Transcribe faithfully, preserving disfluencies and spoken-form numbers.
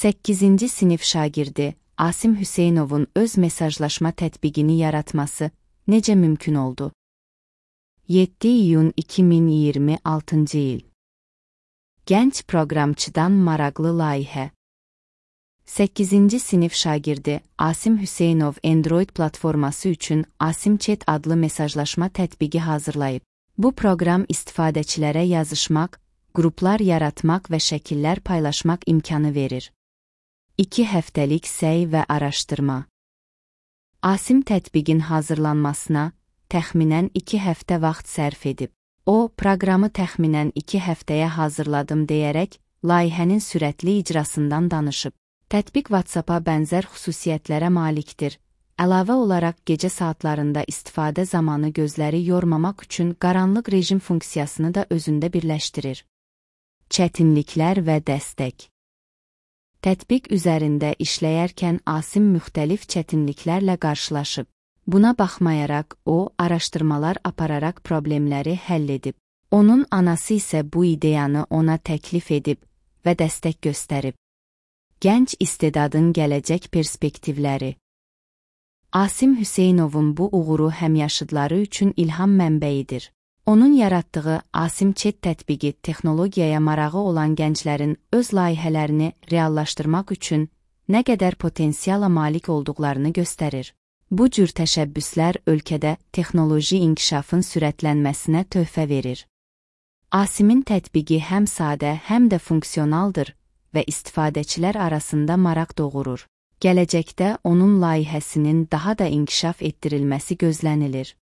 səkkizinci sinif şagirdi Asim Hüseynovun öz mesajlaşma tətbiqini yaratması necə mümkün oldu? yeddi iyun iki min iyirmi altıncı il. Gənc proqramçıdan maraqlı layihə. səkkizinci sinif şagirdi Asim Hüseynov Android platforması üçün Asim Chat adlı mesajlaşma tətbiqi hazırlayıb. Bu proqram istifadəçilərə yazışmaq, qruplar yaratmaq və şəkillər paylaşmaq imkanı verir. iki həftəlik səy və araşdırma. Asim tətbiqin hazırlanmasına təxminən iki həftə vaxt sərf edib. O, proqramı təxminən iki həftəyə hazırladım deyərək, layihənin sürətli icrasından danışıb. Tətbiq WhatsApp-a bənzər xüsusiyyətlərə malikdir. Əlavə olaraq gecə saatlarında istifadə zamanı gözləri yormamaq üçün qaranlıq rejim funksiyasını da özündə birləşdirir. Çətinliklər və dəstək. Tətbiq üzərində işləyərkən Asim müxtəlif çətinliklərlə qarşılaşıb. Buna baxmayaraq, o, araşdırmalar apararaq problemləri həll edib. Onun anası isə bu ideyanı ona təklif edib və dəstək göstərib. Gənc istedadın gələcək perspektivləri. Asim Hüseynovun bu uğuru həmyaşıdları üçün ilham mənbəyidir. Onun yaratdığı Asim Chat tətbiqi texnologiyaya marağı olan gənclərin öz layihələrini reallaşdırmaq üçün nə qədər potensiala malik olduqlarını göstərir. Bu cür təşəbbüslər ölkədə texnoloji inkişafın sürətlənməsinə töhfə verir. Asimin tətbiqi həm sadə, həm də funksionaldır və istifadəçilər arasında maraq doğurur. Gələcəkdə onun layihəsinin daha da inkişaf etdirilməsi gözlənilir.